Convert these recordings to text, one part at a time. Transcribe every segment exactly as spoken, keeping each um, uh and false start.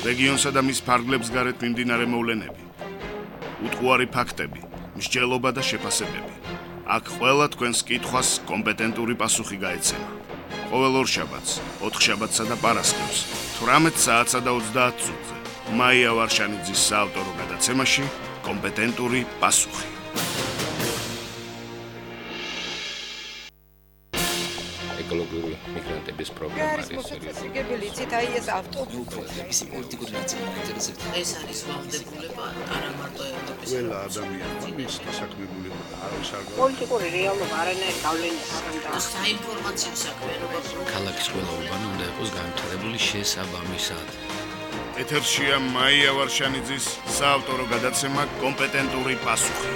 რეგიონსა და მის ფარგლებს გარეთ მიმდინარე მოვლენები, უტყუარი ფაქტები, მსჯელობა და შეფასებები. აქ ყველა თქვენს კითხვას კომპეტენტური პასუხი გაეცემა. ყოველ ორშაბათს, ოთხშაბათსა და პარასკევს, თვრამეტ საათსა და ოცდაათ წუთზე, მაია ვარშანიძის საავტორო გადაცემაში კომპეტენტური პასუხი. ეკოლოგიური მიგრანტების პრობლემა არის სერიოზული. ციტაი ეს ავტობუსი. ის პოლიტიკური ნაციონალური ინტერესები. ეს არის ვალდებულება არა მარტო ევროპის. ყველა ადამიანმა მის დასაქმებულება არის არ პოლიტიკური რეალობა არანაირ გავლენას არ აქვს. საინფორმაციო საქმიანობა ქალაქის ყველა უბანი უნდა იყოს განვითარებული შესაბამისად. ეთერშია მაია ვარშანიძის საავტორო გადაცემა კომპეტენტური პასუხი.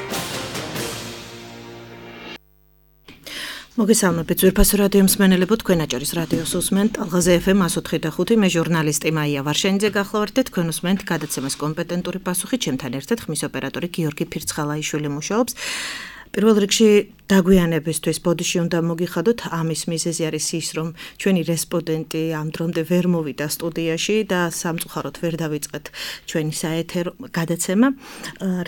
მოგესალმებით ძვირფასო რადიო მსმენელებო, თქვენ აჭარის რადიოს უსმენთ ალღაზე ეფ ემ εκατო ოთხი და ხუთი, მე ჟურნალისტი მაია ვარშანიძე გახლავართ და თქვენ უსმენთ გადაცემას კომპეტენტური პასუხი, ჩემთან ერთად ხმის ოპერატორი გიორგი ფირცხალაიშვილი მუშაობს. პირველ რიგში დაგვიანებისთვის ბოდიში უნდა მოგიხადოთ, ამის მიზეზი არის ის, რომ ჩვენი რესპონდენტი ამ დრომდე ვერ მოვიდა სტუდიაში და სამწუხაროდ ვერ დავიწყეთ ჩვენი საეთერო გადაცემა,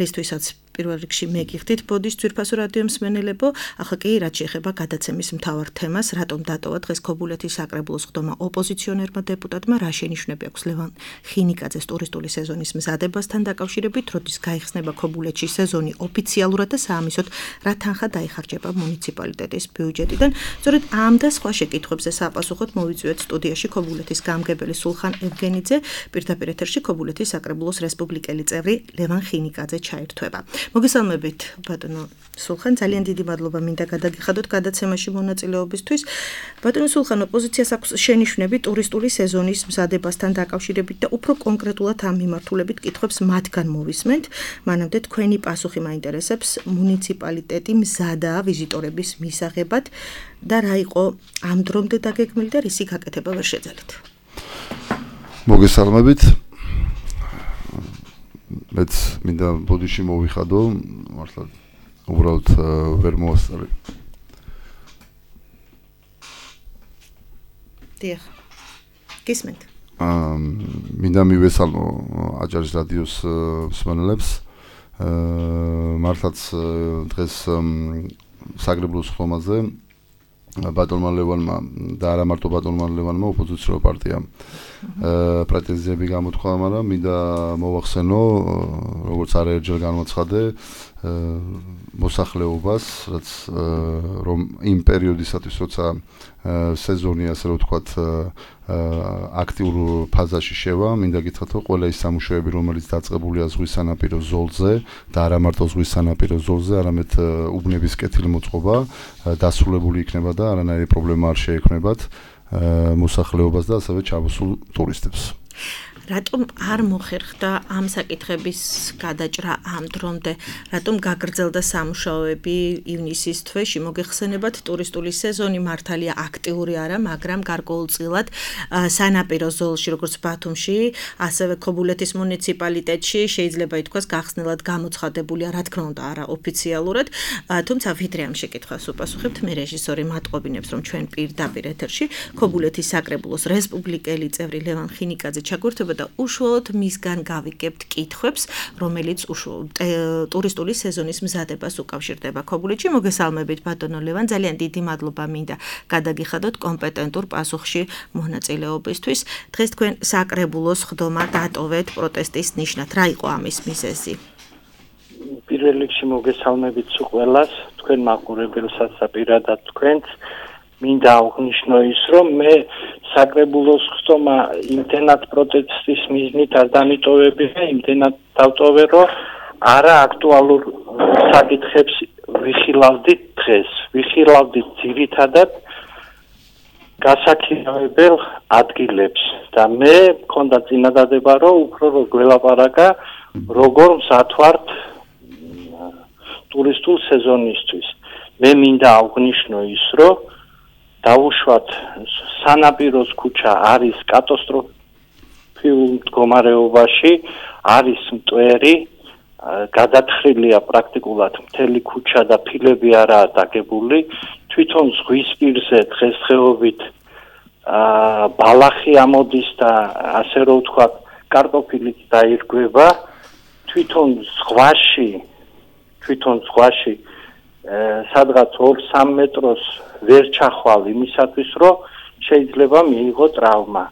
რისთვისაც პირველ რიგში მეგიხდით ბოდის ძვირფასო რადიო მსმენელებო, ახლა კი რაც შეეხება გადაცემის მთავარ თემას, რატომ დატოვა დღეს ქობულეთის საკრებულოს ხდომა ოპოზიციონერმა დეპუტატმა, რა შენიშვნები აქვს ლევან ხინიკაძეს ტურისტული სეზონის მზადებასთან დაკავშირებით, როდის გაიხსნება ქობულეთში სეზონი ოფიციალურად და საამისოდ რა თანხა დაიხარჯება მუნიციპალიტეტის ბიუჯეტიდან. სწორედ ამ და სხვა შეკითხვებზე საპასუხოდ მოვიწვიეთ სტუდიაში ქობულეთის გამგებელი სულხან ევგენიძე, პირდაპირ ეთერში ქობულეთის საკრებულოს რესპუბლიკელი წევრი ლევან ხინიკაძე ჩაერთვება. მოგესალმებით ბატონო სულხან, ძალიან დიდი მადლობა მინდა გადაგიხადოთ გადაცემაში მონაწილეობისთვის. ბატონო სულხან, ოპოზიციას აქვს შენიშვნები ტურისტული სეზონის მზადებასთან დაკავშირებით და უფრო კონკრეტულად ამ მიმართულებით კითხვებს მათგან მოვისმენთ. მანამდე თქვენი პასუხი მაინტერესებს, მუნიციპალიტეტი მზადაა ვიზიტორების მისაღებად და რა იყო ამ დრომდე დაგეგმილი და რისი გაკეთება ვერ შეძალით? მოგესალმებით. მეც მინდა ბოდიში მოვიხადო, მართლა უბრალოდ ვერ მოასწარი. დიახ. გისმენთ. აა მინდა მივესალმო აჭარის რადიოს მსმენელებს. აა მართლაც დღეს საკრებულოს ხდომაზე ბატონმა ლევანმა და არა მარტო ბატონმა ლევანმა, ოპოზიციურ პარტიამ პრეტენზიები გამოთქვა, მაგრამ მინდა მოვახსენო, როგორც არაერთხელ განვაცხადე, მოსახლეობას, რაც რომ იმ პერიოდისათვის, როცა სეზონი, ასე რომ ვთქვათ, აქტიურ ფაზაში შევა, მინდა გითხრათ, რომ ყველა ის სამუშაოები, რომელიც დაწყებულია ზღვის სანაპირო ზოლზე და არა მარტო ზღვის სანაპირო ზოლზე, არამედ უბნების კეთილმოწყობა დასრულებული იქნება და არანაირი პრობლემა არ შეექმნებათ მოსახლეობას და ასევე ჩამოსულ ტურისტებს. რატომ არ მოხერხდა ამ საკითხების გადაჭრა ამ დრომდე? რატომ გაგრძელდა სამუშაოები ივნისის თვეში? მოგეხსენებათ, ტურისტული სეზონი მართალია აქტიური არა, მაგრამ გარკვეულწილად სანაპირო ზოლში, როგორც ბათუმში, ასევე ქობულეთის მუნიციპალიტეტში შეიძლება ითქვას გახსნილად გამოცხადებულია, რა თქმა უნდა, არა ოფიციალურად, თუმცა ვიდრე ამ შეკითხვას უპასუხებთ, მე რეჟისორი მატყობინებს, რომ ჩვენ პირდაპირ ეთერში ქობულეთის საკრებულოს რესპუბლიკელი წევრი ლევან ხინიკაძე ჩაგვერთვება და უშუალოდ მისგან გავიგებთ კითხვებს, რომელიც ტურისტული სეზონის მზადებას უკავშირდება ქობულეთში. მოგესალმებით ბატონო ლევან, ძალიან დიდი მადლობა მინდა გადაგიხადოთ კომპეტენტურ პასუხში მონაწილეობისთვის. დღეს თქვენ საკრებულოს ხდომა დატოვეთ პროტესტის ნიშნად. რა იყო ამის მიზეზი? პირველ რიგში მოგესალმებით ყველას, თქვენ მაყურებელსაც და პირადად თქვენს. მინდა აღნიშნო ის, რომ მე საკრებულოს ხდომა იმდენად პროტესტის მიზნით არ დამიტოვებია, იმდენად დავტოვე, რომ არა აქტუალურ საკითხებს ვიხილავდით დღეს. ვიხილავდით ძირითადად გასაქირავებელ ადგილებს და მე მქონდა წინადადება, რომ უფრო რო გველაპარაკა, როგორ მზადვართ ტურისტულ სეზონისთვის. მე მინდა აღნიშნო ის, რომ დავუშვათ სანაპიროს ქუჩა არის კატასტროფიულ მდგომარეობაში, არის მტვერი, გადათხრილია პრაქტიკულად მთელი ქუჩა და ფილები არაა დაგებული, თვითონ ზღვის პირზე დღესდღეობით ბალახი ამოდის და ასე რომ ვთქვათ, კარტოფილიც დაირგვება თვითონ ზღვაში თვითონ ზღვაში სადღაც ორ სამ მეტროს ვერ ჩახვალ იმისათვის რომ შეიძლება მიიღო ტრავმა.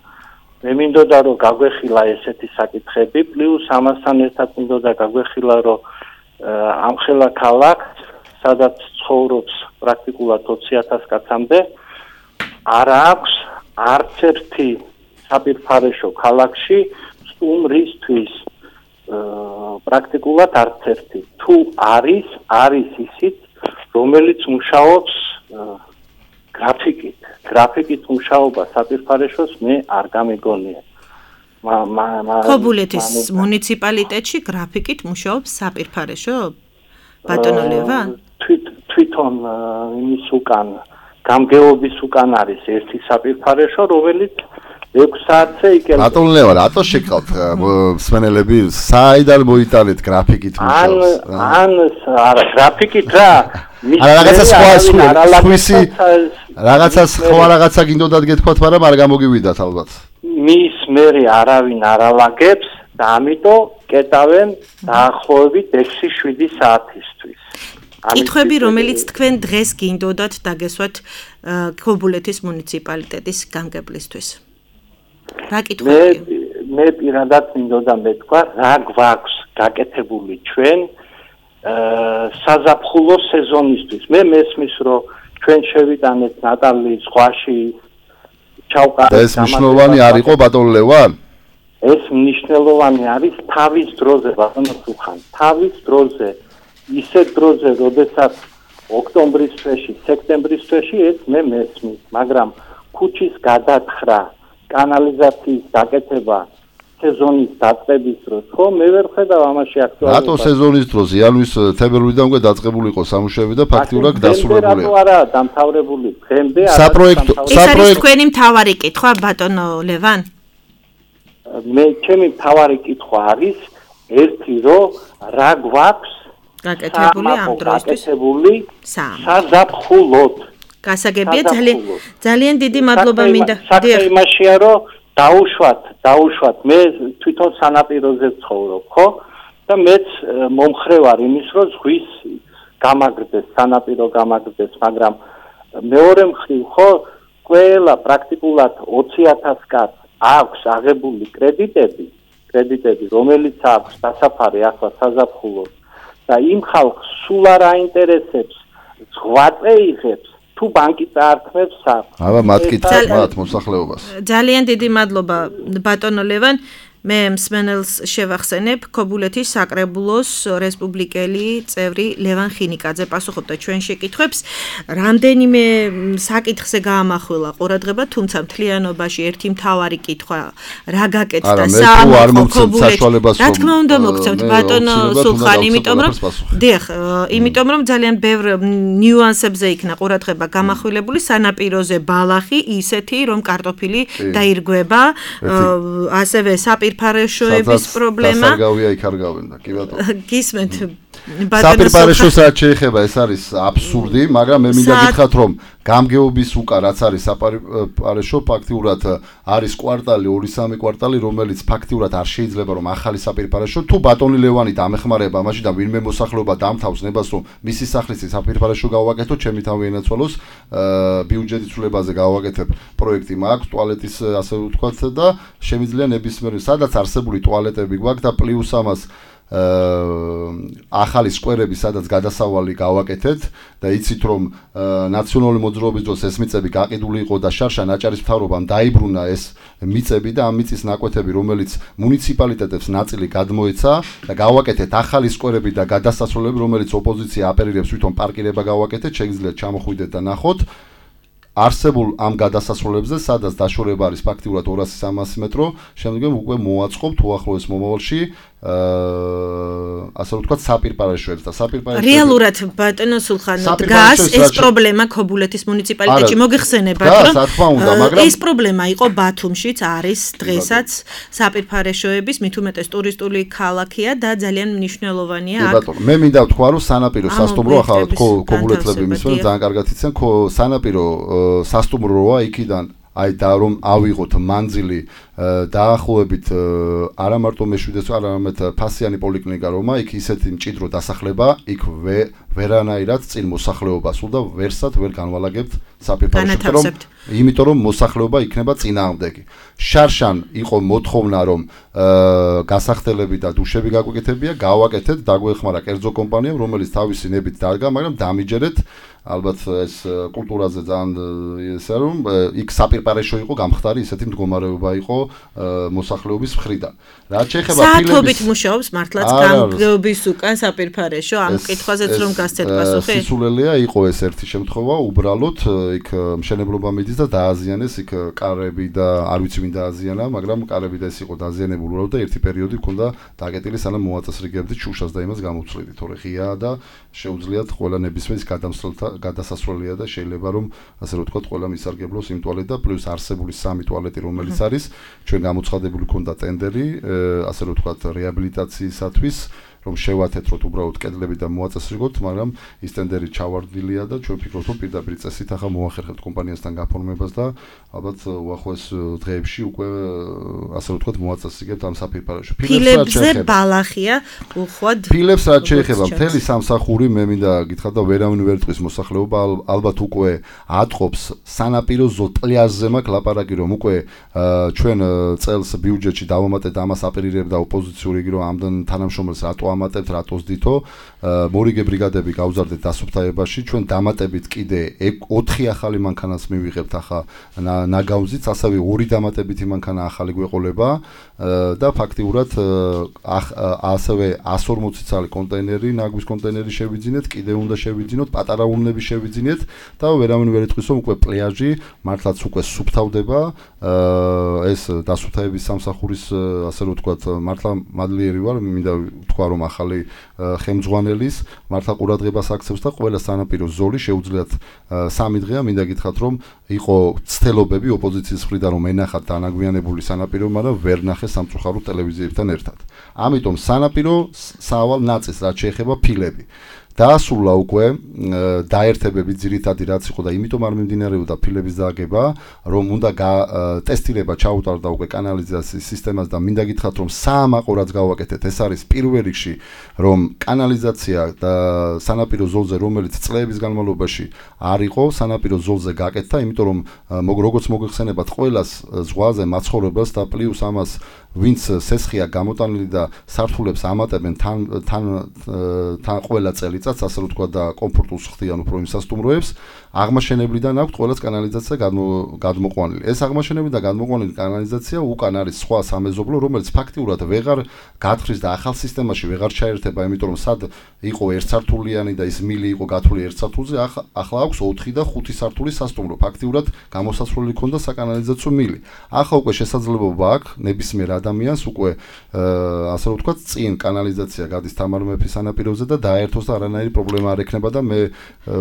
მე მინდოდა რომ გაგვეხილა ესეთი საკითხები, პლუს ამასთან ერთად მინდოდა გაგვეხილა რომ ამხელა ქალაქს, სადაც ცხოვრობს პრაქტიკულად ოცი ათას კაცამდე, არ აქვს არც ერთი საპირფარეშო ქალაქში სტუმრისთვის პრაქტიკულად არც ერთი. თუ არის, არის ისიც, რომელიც მუშაობს გრაფიკით. გრაფიკით მუშაობა საპირფარეშოს მე არ გამიგონია. ქობულეთის მუნიციპალიტეტში გრაფიკით მუშაობს საპირფარეშო? ბატონო ლევან? თვითონ იმის უკან, გამგეობის უკან არის ერთი საპირფარეშო, რომელიც ექვს საათზე იკერება. ბატონო ლევან, რატო შეკავთ მსმენელები, საიდან მოიტანეთ გრაფიკით მუშაობს? ან ან არა, გრაფიკით რა? არა, რაღაცა სხვა სხვისი რაღაცა სხვა რაღაცა გინდოდათ გეთქვათ, მაგრამ არ გამოგივიდათ ალბათ. მის მერე არავინ არ ალაგებს და ამიტომ კეტავენ დაახლოებით ექვსი შვიდი საათისთვის. კითხვები, რომელიც თქვენ დღეს გინდოდათ დაგესვათ ქობულეთის მუნიციპალიტეტის გამგებლისთვის. რა კითხვები? მე მე პირადად მინდოდა მეთქვა, რა გვაქვს გაკეთებული ჩვენ საზაფხულო სეზონისთვის. მე მესმის რომ ჩვენ შევიტანეთ ნატალის ზღვაში ჩავყარეთ. ეს მნიშვნელოვანი არ იყო ბატონო ლევან? ეს მნიშვნელოვანი არის თავის დროზე ბატონო სულხან. თავის დროზე, ისეთ დროზე, როდესაც ოქტომბრის თვეში, სექტემბრის თვეში ეს მე მესმის, მაგრამ ქუჩის გადათხრა, კანალიზაციის დაკეთება სეზონის დაწყების დროს, ხო, მე ვერ ხედავ ამაში აქტუალურობას. რატო სეზონის დროს? იანვრის თებერვლიდან უკვე დაწყებული იყო სამუშაოები და ფაქტიურად დასრულებულია. რატო არა დამთავრებული? დღემდე არა. საპროექტო ეს არის თქვენი მთავარი კითხვა, ბატონო ლევან? მე ჩემი მთავარი კითხვა არის ერთი, რომ რა გვაქვს გაკეთებული ამ დროისთვის? გაკეთებული საზაფხულოდ. გასაგებია, ძალიან ძალიან დიდი მადლობა მინდა. საქმე იმაშია, რომ დაუშვათ, დაუშვათ. მე თვითონ სანაპიროზე ვცხოვრობ, ხო? და მეც მომხრე ვარ იმის, რომ ზღვის გამაგრდეს, სანაპირო გამაგრდეს, მაგრამ მეორე მხრივ, ხო, ყველა პრაქტიკულად ოცი ათას კაცს აქვს აღებული კრედიტები, კრედიტები, რომელიც აქვს დასაფარი ახლა საზაფხულოდ და იმ ხალხს სულ არ აინტერესებს ზღვაწე იღებს თუ ბანკი წაართმევს საფ. აბა მათ კითხავთ მათ მოსახლეობას. ძალიან დიდი მადლობა ბატონო ლევან. მე მსმენელს შევახსენებ, ქობულეთის საკრებულოს რესპუბლიკელი წევრი ლევან ხინიკაძე პასუხობდა ჩვენ შეკითხვებს. რამდენიმე საკითხზე გაამახვილა ყურადღება, თუმცა მთლიანობაში ერთი მთავარი კითხვა რა გაკეთდა საამქრო ქობულეთში. რა თქმა უნდა მოგცემთ ბატონო სულხან, იმიტომ რომ დიახ, იმიტომ რომ ძალიან ბევრ ნიუანსებზე იქნა ყურადღება გამახვილებული, სანაპიროზე ბალახი ისეთი, რომ კარტოფილი დაირგვება, ასევე საპირ საპირფარეშოების პრობლემა. დასარგავია იქ არ გავენდა, კი ბატონო. გისმენთ საპირფარეშოს რაც შეეხება, ეს არის აბსურდი, მაგრამ მე მინდა გითხრათ, რომ გამგეობის უკან რაც არის საპირფარეშო, ფაქტიურად არის კვარტალი, ორი სამი კვარტალი, რომელიც ფაქტიურად არ შეიძლება რომ ახალი საპირფარეშო, თუ ბატონი ლევანი დამეხმარება მაშინ და ვინმე მოსახლეობა დამთავს ნებას, რომ მისი სახლის საპირფარეშო გავაკეთო, ჩემი თავი ენაცვალოს, ბიუჯეტის ცვლილებაზე გავაკეთებ პროექტი მაქვს, ტუალეტის ასე ვთქვათ და შემიძლია ნებისმიერი სადაც არსებული ტუალეტები გვაქვს და პლუს ამას ახალი სკვერები, სადაც გადასავალი გავაკეთეთ და იცით რომ ნაციონალური მოძრაობის დროს ეს მიწები გაყიდული იყო და შარშა ნაჭარის მთავრობამ დაიბრუნა ეს მიწები და ამ მიწის ნაკვეთები, რომელიც მუნიციპალიტეტებს ნაწილი გადმოეცა და გავაკეთეთ ახალი სკვერები და გადასასვლელები, რომელიც ოპოზიცია აპერირებს თვითონ პარკირება გავაკეთეთ, შეგიძლიათ ჩამოხვიდეთ და ნახოთ. არსებულ ამ გადასასვლელებზე, სადაც დაშორება არის ფაქტიურად ორასი სამასი მეტრო, შემდგომ უკვე მოაწყობთ უახლოეს მომავალში ასე ვთქვათ საპირფარეშოებს და საპირფარეშოებს რეალურად ბატონო სულხანო დგას ეს პრობლემა ქობულეთის მუნიციპალიტეტში მოგიხსენებათ რომ ეს პრობლემა იყო ბათუმშიც არის დღესაც საპირფარეშოების მით უმეტეს ტურისტული ქალაქია და ძალიან მნიშვნელოვანია აქ ბატონო მე მინდა ვთქვა რომ სანაპირო სასტუმრო ახლა ქობულეთლები მისვენ ძალიან კარგად იციან სანაპირო სასტუმროა იქიდან აი და რომ ავიღოთ მანძილი დაახლოებით არა მარტო მეშვიდე არამედ ფასიანი პოლიკლინიკა რომა იქ ისეთი მჭიდრო დასახლება იქ ვერანაირად წინ მოსახლეობა სულ და ვერსად ვერ განვალაგებთ საფირფარეში რომ იმიტომ რომ მოსახლეობა იქნება წინააღმდეგი შარშან იყო მოთხოვნა რომ გასახდელები და დუშები გაგვეკეთებია გავაკეთეთ დაგვეხმარა კერძო კომპანიამ რომელიც თავისი ნებით დარგა მაგრამ დამიჯერეთ ალბათ ეს კულტურაზე ძალიან ესე რომ იქ საპირპარეშო იყო გამხდარი ისეთი მდგომარეობა იყო მოსახლეობის მხრიდან. რაც შეეხება ფილმის საათობით მუშაობს მართლაც გამგრობის უკან საპირფარეშო ამ კითხვაზეც რომ გასცეთ პასუხი. სისულელეა იყო ეს ერთი შემთხვევა უბრალოდ იქ მშენებლობა მიდის და დააზიანეს იქ კარები და არ ვიცი ვინ დააზიანა მაგრამ კარები და ეს იყო დაზიანებული უბრალოდ და ერთი პერიოდი ჰქონდა დაკეტილი სანამ მოაწესრიგებდით შუშას და იმას გამოვცვლიდით თორე ღიაა და შეუძლიათ ყველა ნებისმიერ გადამსვლელთა გადასასვლელია და შეიძლება რომ ასე რომ ვთქვათ ყველა მისარგებლოს იმ ტუალეტ და პლუს არსებული სამი ტუალეტი რომელიც არის ჩვენ გამოცხადებული ქონდა ტენდერი ასე რომ ვთქვათ რეაბილიტაციისათვის რომ შევათეთროთ უბრალოდ კედლები და მოაწესრიგოთ, მაგრამ ის ტენდერი ჩავარდილია და ჩვენ ვფიქრობთ, რომ პირდაპირ წესით ახლა მოახერხებთ კომპანიასთან გაფორმებას და ალბათ უახლოეს დღეებში უკვე ასე რომ ვთქვათ მოაწესრიგებთ ამ საფირფარეში. ფილებზე ბალახია უხვად. ფილებს რაც შეეხება მთელი სამსახური მე მინდა გითხრათ და ვერავინ ვერ ტყვის მოსახლეობა ალბათ უკვე ატყობს სანაპირო ზოტლიაზე მაქვს ლაპარაკი რომ უკვე ჩვენ წელს ბიუჯეტში დავამატეთ ამას აპირირებდა ოპოზიციური რომ ამდენ თანამშრომელს რატო ამატებთ რატოს დითო მორიგე ბრიგადები გავზარდეთ დასუფთავებაში ჩვენ დამატებით კიდე ოთხი ახალი მანქანას მივიღებთ ახლა ნაგავზიც ასევე ორი დამატებითი მანქანა ახალი გვეყოლება და ფაქტიურად ასევე εκατს ორმოცი წალი კონტეინერი ნაგვის კონტეინერი შევიძინეთ კიდე უნდა შევიძინოთ პატარა ურნები შევიძინეთ და ვერავინ ვერ იტყვის რომ უკვე პლეაჟი მართლაც უკვე სუფთავდება ეს დასუფთავების სამსახურის ასე რომ ვთქვათ მართლა მადლიერი ვარ მინდა ვთქვა რომ ახალი ხელმძღვანელის მართლა ყურადღებას აქცევს და ყველა სანაპირო ზოლი შეუძლიათ სამი დღეა მინდა გითხრათ რომ იყო ცდელობები ოპოზიციის მხრიდან რომ ენახათ დანაგვიანებული სანაპირო მაგრამ ვერ ნახეს სამწუხაროდ ტელევიზიებთან ერთად ამიტომ სანაპირო სავალ ნაწილს რაც შეეხება ფილები დაასრულა უკვე დაერთებები ძირითადი რაც იყო და იმიტომ არ მიმდინარეობდა ფილების დააგება რომ უნდა ტესტირება ჩაუტარდა უკვე კანალიზაციის სისტემას და მინდა გითხრათ რომ საამაყო რაც გავაკეთეთ ეს არის პირველ რიგში რომ კანალიზაცია და სანაპირო ზოლზე რომელიც წლების განმავლობაში არ იყო სანაპირო ზოლზე გაკეთდა იმიტომ რომ როგორც მოგეხსენებათ ყველას ზღვაზე მაცხოვრებელს და პლუს ამას ვინც სესხია გამოტანილი და სართულებს ამატებენ თან თან თან ყველა წელიწადს ასე რომ თქვა და კომფორტულს ხდიან უფრო იმ სასტუმროებს აღმაშენებლიდან აქვს ყველას კანალიზაცია გადმოყვანილი ეს აღმაშენებელი და გადმოყვანილი კანალიზაცია უკან არის სხვა სამეზობლო რომელიც ფაქტიურად ვეღარ გათხრის და ახალ სისტემაში ვეღარ ჩაერთება იმიტომ რომ სად იყო ერთსართულიანი და ის მილი იყო გათვლილი ერთსართულზე ახლა აქვს ოთხი და ხუთი სართულის სასტუმრო ფაქტიურად გამოსასვლელი ქონდა საკანალიზაციო მილი ახლა უკვე შესაძლებლობა აქვს ნებისმიერ ადამიანს უკვე ასე რომ ვთქვათ წინ კანალიზაცია გადის თამარ მეფის სანაპიროზე და დაერთოს და არანაირი პრობლემა არ ექნება და მე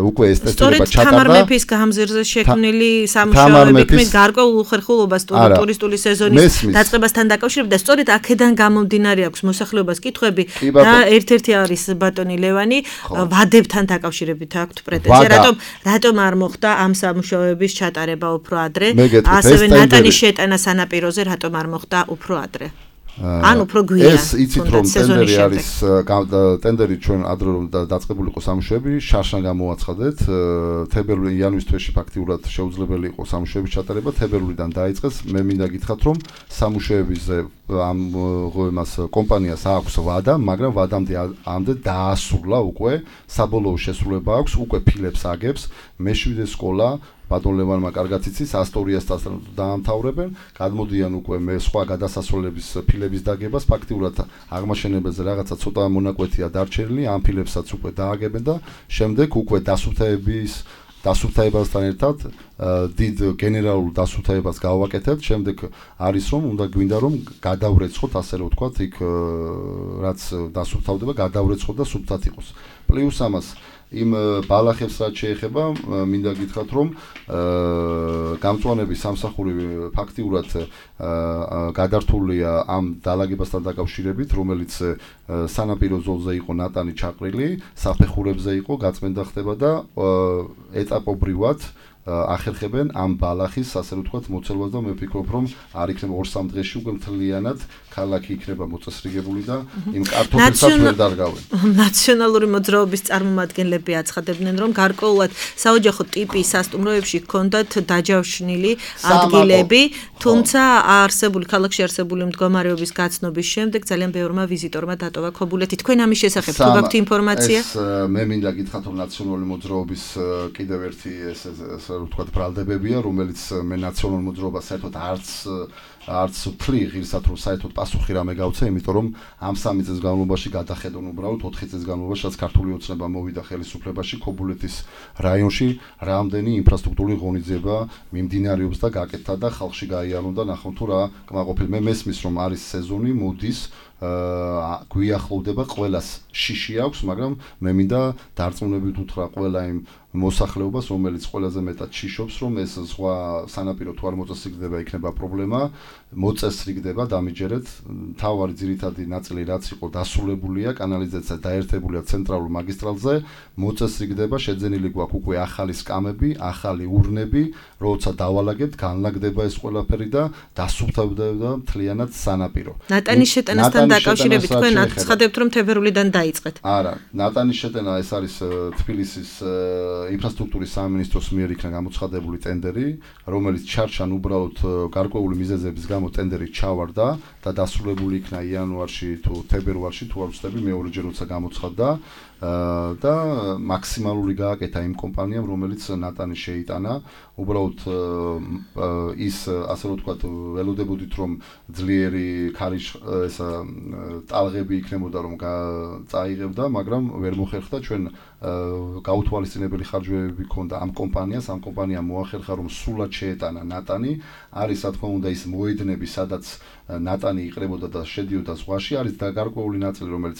უკვე ეს ტესტირება ჩატარდა თამარ მეფის გამზირზე შექმნილი სამუშაოები ქმნის გარკვეულ უხერხულობას ტურისტული სეზონის დაწყებასთან დაკავშირებით და სწორედ აქედან გამომდინარე აქვს მოსახლეობას კითხვები და ერთ-ერთი არის ბატონი ლევანი ვადებთან დაკავშირებით აქვთ პრეტენზია რატომ რატომ არ მოხდა ამ სამუშაოების ჩატარება უფრო ადრე ასევე ნატანის შეტანა სანაპიროზე რატომ არ მოხდა უფრო ადრე ან უფრო გვიან ეს იცით რომ ტენდერი არის ტენდერი ჩვენ ადრე რომ დაწყებული იყო სამუშაოები შარშან გამოაცხადეთ თებერვალი იანვრის თვეში ფაქტიურად შეუძლებელი იყო სამუშაოების ჩატარება თებერვლიდან დაიწყეს მე მინდა გითხრათ რომ სამუშაოებზე ამ ღოემას კომპანიას აქვს ვადა მაგრამ ვადამდე ამდე დაასრულა უკვე საბოლოო შესრულება აქვს უკვე ფილებს აგებს მეშვიდე სკოლა ბატონ ლევანმა კარგად იცის ასტორიასთან დაამთავრებენ გადმოდიან უკვე მე სხვა გადასასვლელების ფილების დაგებას ფაქტიურად აღმაშენებელზე რაღაცა ცოტა მონაკვეთია დარჩენილი ამ ფილებსაც უკვე დააგებენ და შემდეგ უკვე დასუფთავების დასუფთავებასთან ერთად დიდ გენერალურ დასუფთავებას გავაკეთებთ შემდეგ არის რომ უნდა გვინდა რომ გადავრეცხოთ ასე რომ ვთქვათ იქ რაც დასუფთავდება გადავრეცხოთ და სუფთად იყოს პლუს ამას იმ ბალახებს რაც შეეხება მინდა გითხრათ რომ გამწვანების სამსახური ფაქტიურად გადართულია ამ დალაგებასთან დაკავშირებით რომელიც სანაპირო ზოლზე იყო ნატანი ჩაყრილი საფეხურებზე იყო გაწმენდა ხდება და ეტაპობრივად ახერხებენ ამ ბალახის ასე ვთქვათ მოცელობას და მე ვფიქრობ რომ არ იქნება ორ-სამ დღეში უკვე მთლიანად ქალაქი იქნება მოწესრიგებული და იმ კარტოფილსაც ვერ დარგავენ. ნაციონალური მოძრაობის წარმომადგენლები აცხადებდნენ რომ გარკვეულად საოჯახო ტიპის სასტუმროებში ჰქონდათ დაჯავშნილი ადგილები, თუმცა არსებული ქალაქში არსებული მდგომარეობის გაცნობის შემდეგ ძალიან ბევრმა ვიზიტორმა დატოვა ქობულეთი. თქვენ ამის შესახებ თუ გაქვთ ინფორმაცია? ეს მე მინდა გითხრათ რომ ნაციონალური მოძრაობის კიდევ ერთი ეს ასე ვთქვათ ბრალდებებია, რომელიც მე ნაციონალურ მოძრაობას საერთოდ არც არც ვთვლი ღირსად რომ საერთოდ პასუხი რამე გავცე, იმიტომ რომ ამ სამი წლის განმავლობაში გადახედონ უბრალოდ ოთხი წლის განმავლობაში, რაც ქართული ოცნება მოვიდა ხელისუფლებაში, ქობულეთის რაიონში რამდენი ინფრასტრუქტურული ღონისძიება მიმდინარეობს და გაკეთდა და ხალხში გაიარონ და ნახონ თუ რა კმაყოფილი. მე მესმის რომ არის სეზონი, მოდის აა გვიახლოვდება ყველას შიში აქვს, მაგრამ მე მინდა დარწმუნებით უთხრა ყველა იმ მოსახლეობას, რომელიც ყველაზე მეტად შიშობს, რომ ეს სხვა სანაპირო თუ არ მოწესრიგდება, იქნება პრობლემა, მოწესრიგდება დამიჯერეთ. თავარი ძირითადი ნაწილი რაც იყო დასრულებულია, კანალიზაცია დაერთებულია ცენტრალურ მაგისტრალზე, მოწესრიგდება, შეძენილი გვაქვს უკვე ახალი სკამები, ახალი ურნები, როცა დავალაგებთ, განლაგდება ეს ყველაფერი და დასუფთავდება მთლიანად სანაპირო. ნატანის შეტანასთან დაკავშირებით თქვენ აცხადებთ რომ თებერვლიდან დაიწყეთ. არა, ნატანის შეტანა ეს არის თბილისის ინფრასტრუქტურის სამინისტროს მიერ იქნა გამოცხადებული ტენდერი, რომელიც ჩარჩან უბრალოდ გარკვეული მიზეზების გამო ტენდერი ჩავარდა და დასრულებული იქნა იანვარში თუ თებერვალში თუ არ ვცდები მეორეჯერ როცა გამოცხადდა და მაქსიმალური გააკეთა იმ კომპანიამ, რომელიც ნატანი შეიტანა. უბრალოდ ის ასე ვთქვათ, ველოდებოდით რომ ძლიერი ქარიშ ესა ტალღები იქნებოდა რომ წაიღებდა, მაგრამ ვერ მოხერხდა. ჩვენ გაუთვალისწინებელი ხარჯებები ჰქონდა ამ კომპანიას, ამ კომპანიამ მოახერხა რომ სულად შეეტანა ნატანი. არის რა თქმა უნდა ის მოედნები, სადაც ნატანი იყრებოდა და შედიოდა ზღვაში, არის და გარკვეული ნაწილი, რომელიც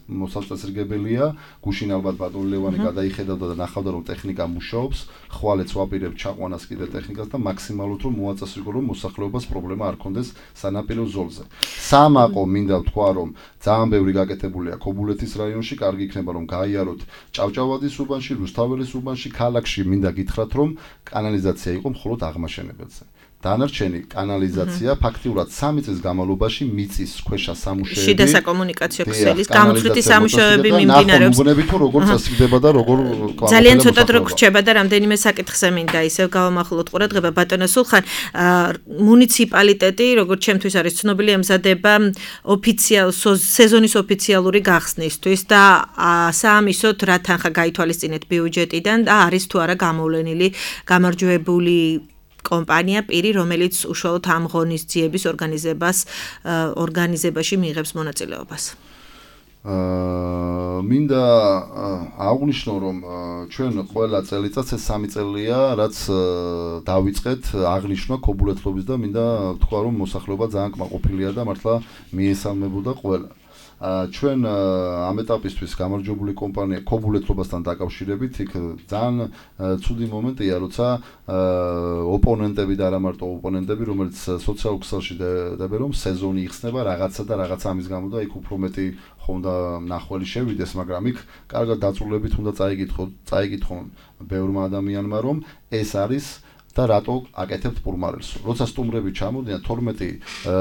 მოსაწესრიგებელია. გუშინ ალბათ ბატონი ლევანი გადაიხედავდა და ნახავდა რომ ტექნიკა მუშაობს, ხვალეც ვაპირებ ჩაყვანას კიდე ტექნიკას და მაქსიმალურად რომ მოაწესრიგო რომ მოსახლეობას პრობლემა არ ქონდეს სანაპირო ზოლზე. სამაყო მინდა ვთქვა რომ ძალიან ბევრი გაკეთებულია ქობულეთის რაიონში, კარგი იქნება რომ გაიაროთ ჭავჭავადის უბანში, რუსთაველის უბანში, ქალაქში მინდა გითხრათ რომ კანალიზაცია იყო მხოლოდ აღმაშენებელზე. დანარჩენი კანალიზაცია ფაქტიურად სამი წლის განმავლობაში მიწის ქვეშა სამუშაოები, შიდა საკომუნიკაციო ქსელის გამოცვლითი სამუშაოები მიმდინარეობს. მოგონები თუ როგორ წესრიგდება და როგორ ძალიან ცოტა დრო გრჩება და რამდენიმე საკითხზე მინდა ისევ გავამახვილოთ ყურადღება. ბატონო სულხან, მუნიციპალიტეტი, როგორც ჩემთვის არის ცნობილი, ემზადება ოფიციალ სეზონის ოფიციალური გახსნისთვის და საამისოდ რა თანხა გაითვალისწინეთ ბიუჯეტიდან და არის თუ არა გამოვლენილი გამარჯვებული კომპანია პირი, რომელიც უშუალოდ ამ ღონისძიების ორგანიზებას ორგანიზებაში მიიღებს მონაწილეობას. აა მინდა აღვნიშნო რომ ჩვენ ყველა წელიწადს ეს სამი წელია, რაც დავიწყეთ აღნიშნა ქობულეთლობის და მინდა ვთქვა რომ მოსახლეობა ძალიან კმაყოფილია და მართლა მიესალმებოდა ყველა. ჩვენ ამ ეტაპისთვის გამარჯვებული კომპანია ქობულეთლობასთან დაკავშირებით იქ ძალიან ცუდი მომენტია, როცა ოპონენტები და არა მარტო ოპონენტები, რომელიც სოციალურ ქსელში დებენ რომ სეზონი იხსნება რაღაცა და რაღაც ამის გამო და იქ უფრო მეტი ხონდა ნახველი შევიდეს, მაგრამ იქ კარგად დაწურლებით უნდა წაიკითხონ, წაიკითხონ ბევრმა ადამიანმა რომ ეს არის და რატო აკეთებთ პურმარელს. როცა სტუმრები ჩამოდიან, თორმეტი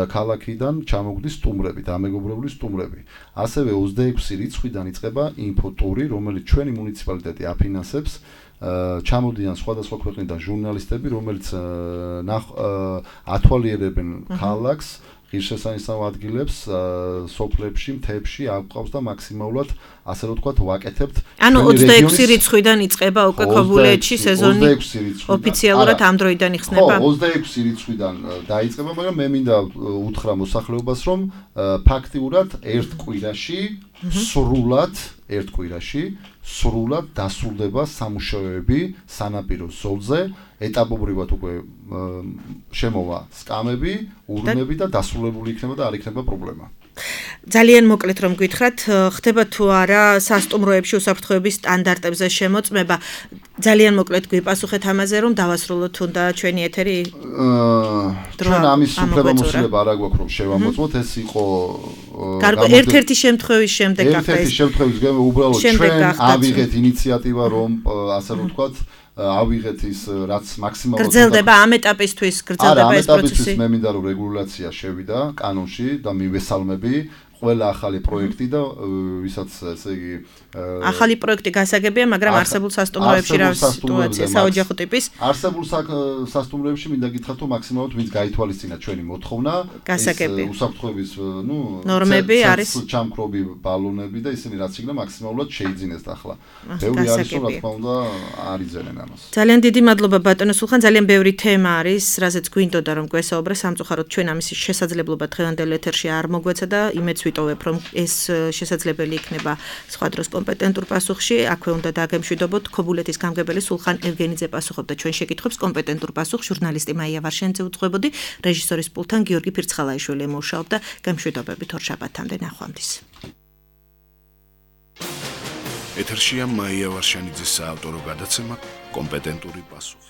ქალაქიდან ჩამოგდის სტუმრები, დამეგობრებული სტუმრები. ასევე ოცდაექვსი რიცხვიდან იწყება ინფოტური, რომელიც ჩვენი მუნიციპალიტეტი აფინანსებს. ჩამოდიან სხვადასხვა ქვეყნიდან ჟურნალისტები, რომელიც ათვალიერებენ ქალაქს, ღირსშესანიშნავ ადგილებს, სოფლებში, მთებში, აყვავს და მაქსიმალურად ასე ვთქვათ, ვაკეთებთ. ანუ ოცდაექვსი რიცხვიდან იწყება უკვე ქობულეთში სეზონი ოფიციალურად ამ დროიდან იხსნება? ხო, ოცდაექვსი რიცხვიდან დაიწყება, მაგრამ მე მინდა უთხრა მოსახლეობას, რომ ფაქტიურად ერთ კვირაში სრულად, ერთ კვირაში სრულად დასრულდება სამუშაოები სანაპირო ზოლზე, ეტაპობრივად უკვე შემოვა სკამები, ურნები და დასრულებული იქნება და არ იქნება პრობლემა. ძალიან მოკლედ რომ გითხრათ, ხდება თუ არა სასტუმროებში უსაფრთხოების სტანდარტებზე შემოწმება? ძალიან მოკლედ გვიპასუხეთ ამაზე, რომ დავასრულოთ თუნდა ჩვენი ეთერი? ჩვენ ამის უფლებამოსილება არ აგვაქვს რომ შევამოწმოთ, ეს იყო ერთ-ერთი შემთხვევის შემდეგ ახლა ერთ-ერთი შემთხვევის გამო უბრალოდ ჩვენ ავიღეთ ინიციატივა რომ ასე ვთქვათ ავიღეთ ის რაც მაქსიმალურად გრძელდება ამ ეტაპისთვის, გრძელდება ეს პროცესი. მე მინდა რომ რეგულაცია შევიდა კანონში და მივესალმები ყველა ახალი პროექტი და ვისაც ესე იგი ახალი პროექტი გასაგებია, მაგრამ არსებულ სასტუმროებში რა სიტუაცია საოჯახო ტიპის არსებულ სასტუმროებში მინდა გითხრათ რომ მაქსიმალურად ვინც გაითვალისწინა ჩვენი მოთხოვნა გასაგებია უსაფრთხოების ნუ ნორმები არის ჩამქრობი ბალონები და ისინი რაც იქნა მაქსიმალურად შეიძინეს ახლა ბევრი არის რომ რა თქმა უნდა არ იძენენ ამას ძალიან დიდი მადლობა ბატონო სულხან ძალიან ბევრი თემა არის რაზეც გვინდოდა რომ გვესაუბრე სამწუხაროდ ჩვენ ამის შესაძლებლობა დღევანდელ ეთერში არ მოგვეცა და იმეც ვიტოვებ რომ ეს შესაძლებელი იქნება სხვა დროს კომპეტენტურ პასუხში აქვე უნდა დაგემშვიდობოთ ქობულეთის გამგებელი სულხან ევგენიძე პასუხობდა ჩვენ შეკითხვებს კომპეტენტურ პასუხს ჟურნალისტი მაია ვარშენიძე უძღვებოდი რეჟისორის პულტთან გიორგი ფირცხალაიშვილი მუშაობდა გამშვიდობებით ორ შაბათამდე ნახვამდის ეთერშია მაია ვარშენიძის საავტორო გადაცემა კომპეტენტური პასუხი